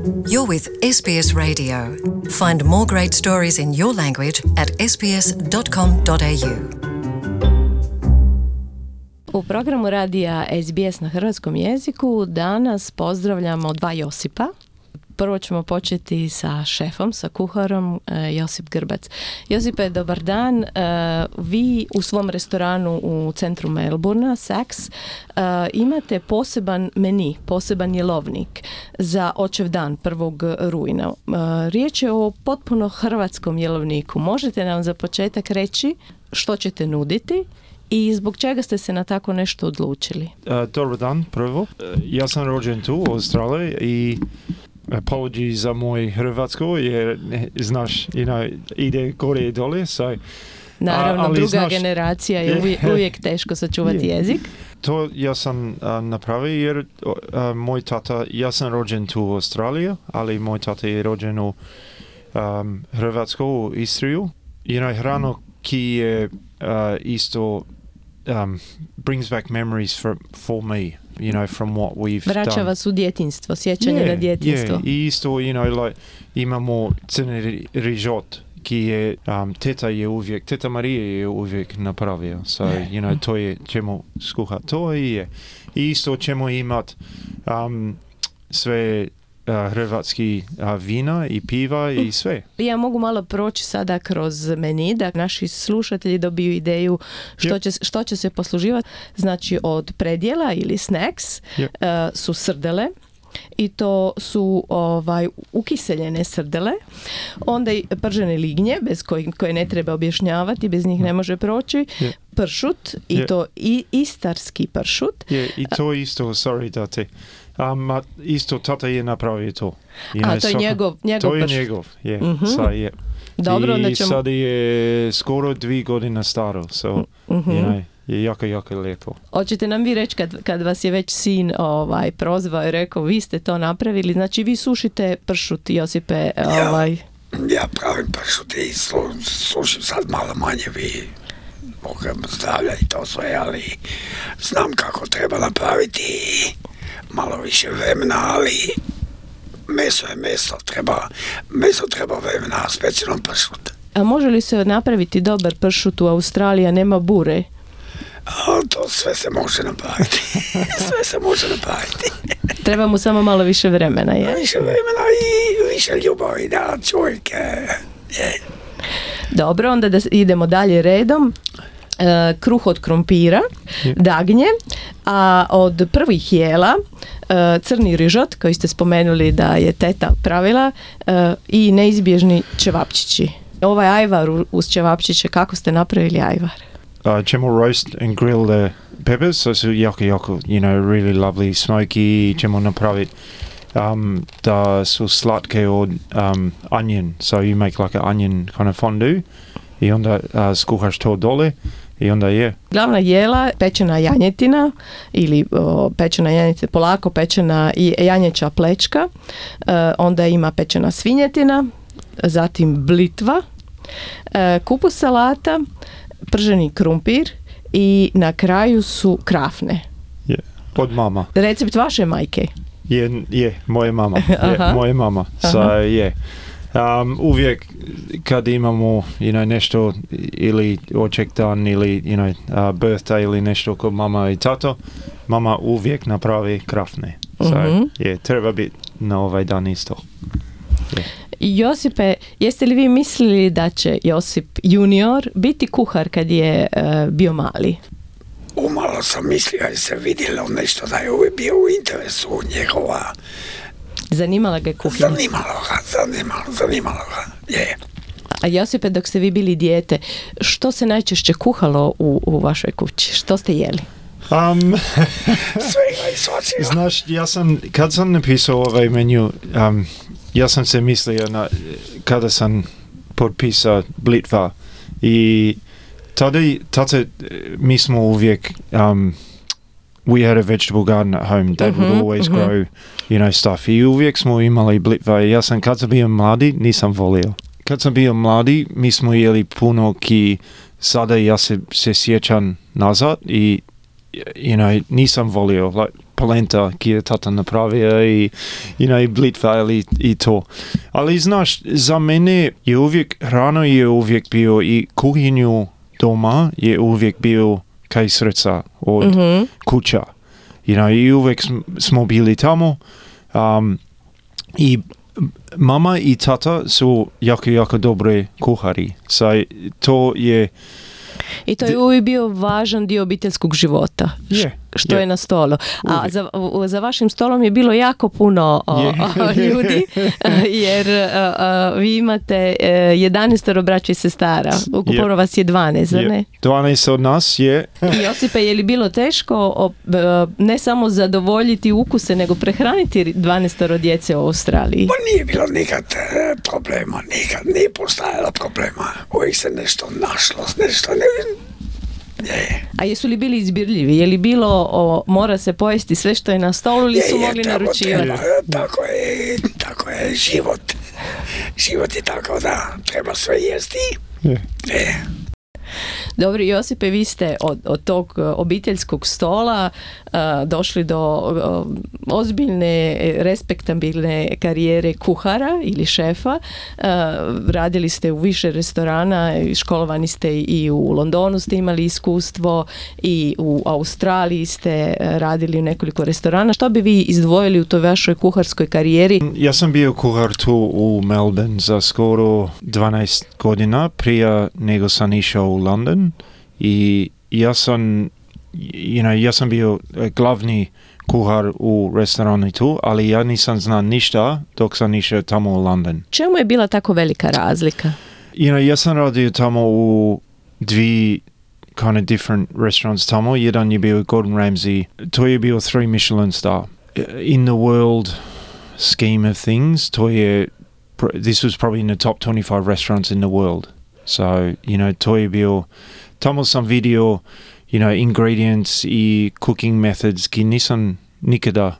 You're with SBS Radio. Find more great stories in your language at sbs.com.au. U programu radija SBS na hrvatskom jeziku danas pozdravljamo dva Josipa. Prvo ćemo početi sa šefom, sa kuharom, Josip Grbac. Josipe, dobar dan. Vi u svom restoranu u centru Melbourna, Saks, imate poseban meni, poseban jelovnik za očev dan 1. rujna. Riječ je o potpuno hrvatskom jelovniku. Možete nam za početak reći što ćete nuditi i zbog čega ste se na tako nešto odlučili? Dobar dan, prvo. Ja sam rođen tu u Australiji i apology za moj hrvatsko jer, znaš, ide gore i dole. Naravno, ali druga znaš, generacija je uvijek teško sačuvati jezik. To ja sam napravio jer moj tata, ja sam rođen tu u Australiji, ali moj tata je rođen u Hrvatsko, u Istriju. Hrano ki je isto brings back memories for me. From what we've Vraća done. vas u djetinjstvo, sjećanje na djetinjstvo. I isto, imamo crni rižot, ki je, Teta Marija je uvijek napravio. To je, ćemo skuhati to i je. I isto ćemo imati sve hrvatski vina i piva i sve. Ja mogu malo proći sada kroz meni da naši slušatelji dobiju ideju što će se posluživati. Znači od predjela ili snacks su srdele i to su ukiseljene srdele, onda i pržene lignje bez koje ne treba objašnjavati, bez njih ne može proći, pršut i to i istarski pršut. I to isto, sorry da te isto tata je napravio to. To je njegov to je pršut. njegov, je. Dobro, onda ćemo... sad je skoro 2 godine staro, je jako lijepo. Hoćete nam vi reći kad vas je već sin prozvao i rekao vi ste to napravili, znači vi sušite pršut, Josipe? Ja pravim pršut i sušim sad malo manje, vi Bogam zdravlja i to sve, ali znam kako treba napraviti malo više vremena, ali meso je meso treba vremena, specijalno pršut. A može li se napraviti dobar pršut u Australiji, a nema bure? To sve se može napraviti. Sve se može napraviti. Treba mu samo malo više vremena, je? Više vremena i više ljubavi da čovjek je. Dobro, onda da idemo dalje redom. Kruh od krumpira, dagnje, a od prvih jela crni rižot, koji ste spomenuli da je teta pravila, i neizbježni ćevapčići. Ovaj ajvar uz ćevapčiće, kako ste napravili ajvar? Ćemo roast and grill the peppers, so su jako, really lovely smoky. Ćemo napraviti da su slatke od onion, so you make like an onion kind of fondue i onda skuhaš to dole i onda je. Glavna jela, pečena janjetina ili pečena janjetina, polako pečena i janjeća plečka, onda ima pečena svinjetina, zatim blitva, kupus salata, prženi krumpir i na kraju su krafne. Od mama. Recept vaše majke? Je, moje mama. Moje mama. Uvijek kad imamo nešto ili oček dan ili birthday ili nešto kod mama i tato, mama uvijek napravi krafne. Treba biti na ovaj dan isto. Josipe, jeste li vi mislili da će Josip junior biti kuhar kad je bio mali? Umalo sam mislio jer se vidjelo nešto da je uvijek bio u interesu njegova. Zanimala ga je kuhinja? Zanimalo ga, je. A Josipe, dok ste vi bili dijete, što se najčešće kuhalo u vašoj kući? Što ste jeli? Svega i svačega. Znaš, kad sam napisao ovaj menju, ja sam se mislio kada sam potpisao blitva i tada mi smo uvijek we had a vegetable garden at home. Dad would always grow, stuff. I uvijek smo imali blitva. Ja sam kad sam bio mladi, nisam volio. Kad sam bio mladi, mi smo jeli puno ki sada ja se sjećam nazad i nisam volio. Like, polenta ki je tata napravio i, i blitva i to. Ali znaš, za mene je uvijek, hrana je uvijek bio i kuhinju doma je uvijek bio kaj srca od kuća. I uvijek smo bili tamo. I mama i tata su jako dobre kuhari. To je... I to je uvijek bio važan dio obiteljskog života. Što je na stolu. A za vašim stolom je bilo jako puno ljudi, jer vi imate 11 braća i sestara. Ukupno vas je 12, ne? 12 od nas je. I Josipe, je li bilo teško ne samo zadovoljiti ukuse, nego prehraniti 12 djece u Australiji? Pa nije bilo nikad problema, nikad nije postajalo problema. Uvijek se nešto našlo, nešto ne... A jesu li bili izbirljivi? Je li bilo mora se pojesti sve što je na stolu ili su mogli naručivati? Tako je život. Život je tako da treba sve jesti. Dobro, Josipe, vi ste od tog obiteljskog stola došli do ozbiljne, respektabilne karijere kuhara ili šefa. Radili ste u više restorana, školovani ste i u Londonu ste imali iskustvo i u Australiji ste radili u nekoliko restorana. Što bi vi izdvojili u toj vašoj kuharskoj karijeri? Ja sam bio kuhar tu u Melbourne za skoro 12 godina prije nego sam išao u London i ja sam bio glavni kuhar u restoranu tu, ali ja nisam znao ništa dok sam išao tamo u London. Čemu je bila tako velika razlika? Ja sam radio tamo u dvije kind of different restaurants tamo. Jedan je bio Gordon Ramsay. To je bio 3 Michelin star. In the world scheme of things, this was probably in the top 25 restaurants in the world. So, to je bio, tamo sam vidio, ingredients i cooking methods ki nisam nikada,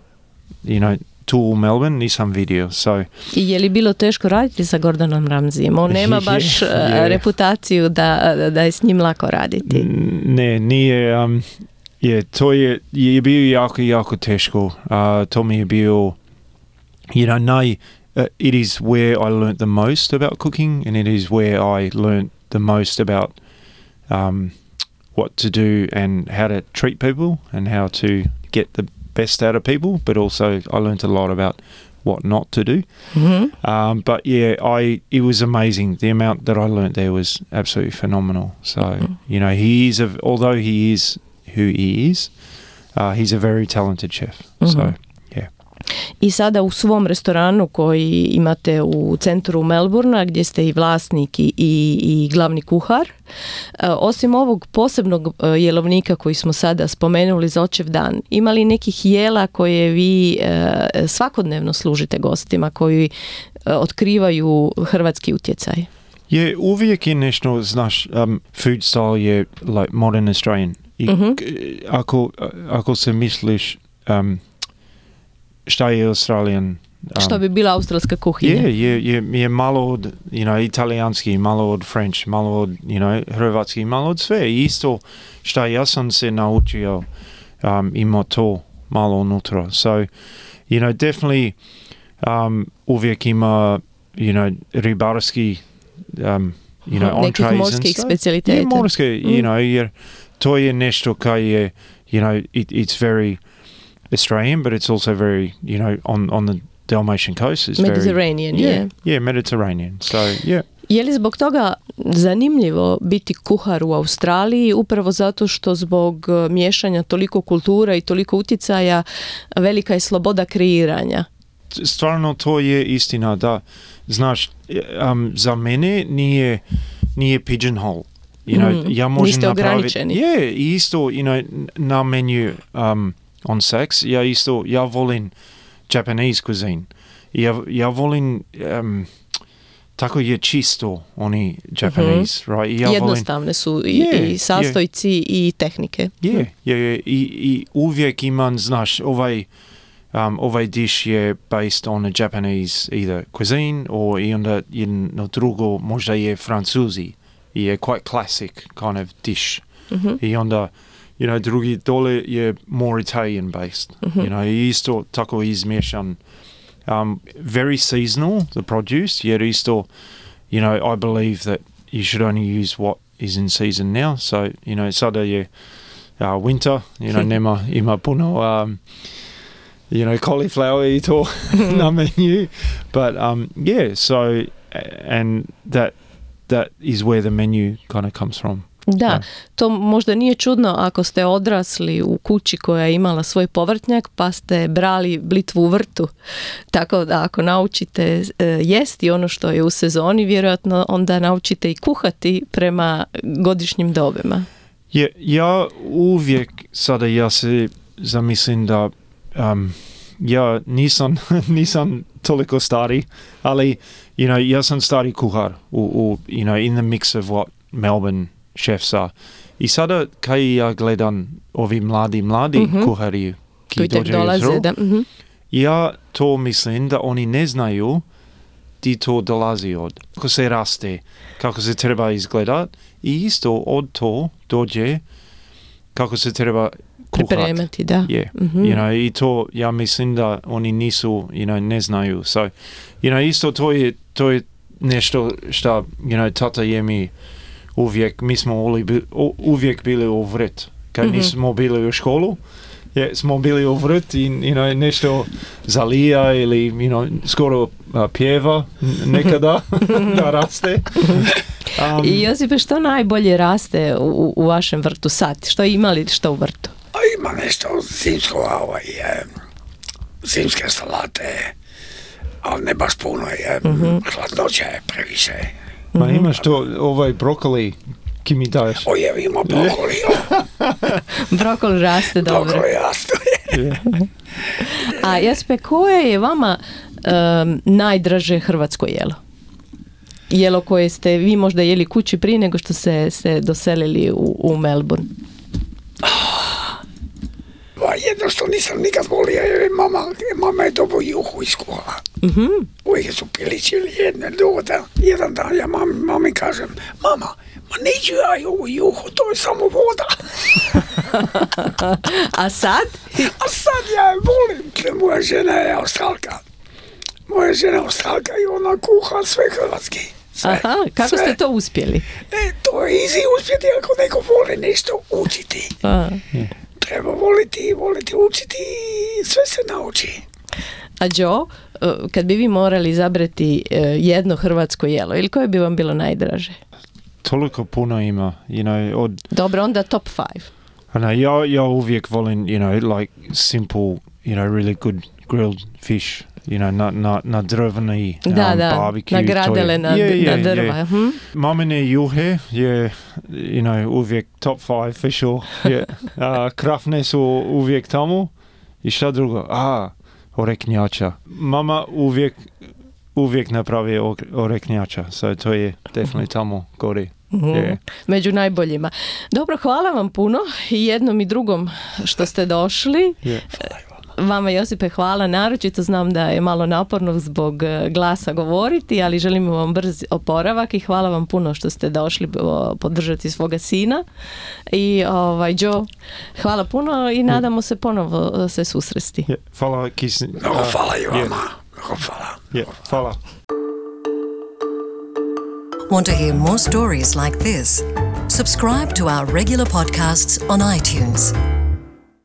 tu u Melbourne nisam vidio. So, i je li bilo teško raditi sa Gordonom Ramsayem? On nema baš reputaciju da je s njim lako raditi. Ne, nije. To je bio jako teško. To mi je bio, it is where I learnt the most about cooking, and it is where I learnt the most about what to do and how to treat people and how to get the best out of people, but also I learnt a lot about what not to do. Mm-hmm. But yeah, it was amazing. The amount that I learnt there was absolutely phenomenal. So, although he is who he is, he's a very talented chef. Mm-hmm. So, yeah. I sada u svom restoranu koji imate u centru Melbournea, gdje ste i vlasnik i glavni kuhar, osim ovog posebnog jelovnika koji smo sada spomenuli za očev dan, ima li nekih jela koje vi svakodnevno služite gostima, koji otkrivaju hrvatski utjecaj? Je, uvijek je nešto, znaš, food style je like modern Australian. I ako se misliš šta je Australian? Što bi bila australska kuhinja? Je malo od, italijanski, malo od French, malo od, hrvatski, malo od sve. I isto šta ja sam se naučio, ima to malo unutra. So, definitely uvijek ima, ribarski, nekih morskih specijaliteta. Je morske, jer to je nešto kaj je, it's very Australian, but it's also very, on the Dalmatian coast. It's Mediterranean, yeah, Mediterranean. So, yeah. Je li zbog toga zanimljivo biti kuhar u Australiji, upravo zato što zbog miješanja toliko kultura i toliko utjecaja velika je sloboda kreiranja? Stvarno to je istina, da. Znaš, za mene nije pigeonhole. Ja možem niste ograničeni. Isto, na meniju on Saks, ja volim Japanese cuisine. Ja volim tako je čisto oni Japanese, right? Jednostavne su i sastojci i tehnike. I uvijek imam, znaš, ovaj dish je based on a Japanese either cuisine or i onda jedno drugo možda je francuzi. Je quite classic kind of dish. I onda drugi dole je more Italian based. Isto tako izmješan. Very seasonal, the produce, yet isto, I believe that you should only use what is in season now. So, sada je winter, ima puno, cauliflower i to na menu. But, so, and that is where the menu kind of comes from. Da, to možda nije čudno ako ste odrasli u kući koja je imala svoj povrtnjak pa ste brali blitvu u vrtu. Tako da ako naučite jesti ono što je u sezoni, vjerojatno onda naučite i kuhati prema godišnjim dobima. Ja uvijek sada ja se zamislim da ja nisam toliko stari, ali ja sam stari kuhar in the mix of what Melbourne chefs are. I sada kaj ja gledam ovi mladi kuhari ki dolaze, ja to mislim da oni ne znaju di to dolazi od. Kako se raste, kako se treba izgledat i isto od to dođe kako se treba kuhat. Pripremati, da. I to ja mislim da oni nisu, ne znaju. So, isto to je nešto što, tata je mi uvijek, mi smo uvijek bili u vrt. Kad nismo bili u školu, smo bili u vrt i nešto zalija ili skoro pjeva nekada da raste. I Josipe, što najbolje raste u vašem vrtu sad? Što imali što u vrtu? Ima nešto zimsko, zimske salate, ali ne baš puno, hladnoća je previše. Ma imaš to, brokoli, ki mi daješ? Ima brokoli. Brokoli raste dobro. Brokoli raste. A Josipe, koje je vama najdraže hrvatsko jelo? Jelo koje ste vi možda jeli kući prije nego što ste doselili u Melbourne? Jedno što nisam nikad volio, mama je dobro juhu iskuhala. Uvijek su piličili jedan dan ja mami kažem, mama, ma neću ja ovu juhu, to je samo voda. A sad? A sad ja je volim, moja žena je Australka. I ona kuha sve hrvatski. Aha, kako ste to uspjeli? To je easy uspjeti ako neko voli nešto učiti. Treba voliti učiti i sve se nauči. A Joe, kad bi vi morali izabrati jedno hrvatsko jelo, ili koje bi vam bilo najdraže? Toliko puno ima, Dobro, onda top 5. Ja uvijek volim, like simple, really good grilled fish. Na drvni barbecue. Na gradele, na drva. Mamine juhe je, uvijek top 5 for sure. Krafne su uvijek tamo. I šta drugo? Oreknjača. Mama uvijek napravi oreknjača. So to je definitivno tamo gori. Među najboljima. Dobro, hvala vam puno i jednom i drugom što ste došli. Vama, Josipe, hvala. Naročito znam da je malo naporno zbog glasa govoriti, ali želimo vam brz oporavak i hvala vam puno što ste došli podržati svoga sina. I Joe, hvala puno i nadamo se ponovo se susresti. Hvala, hvala i vama. Hvala. Want to hear more stories like this? Subscribe to our regular podcasts on iTunes.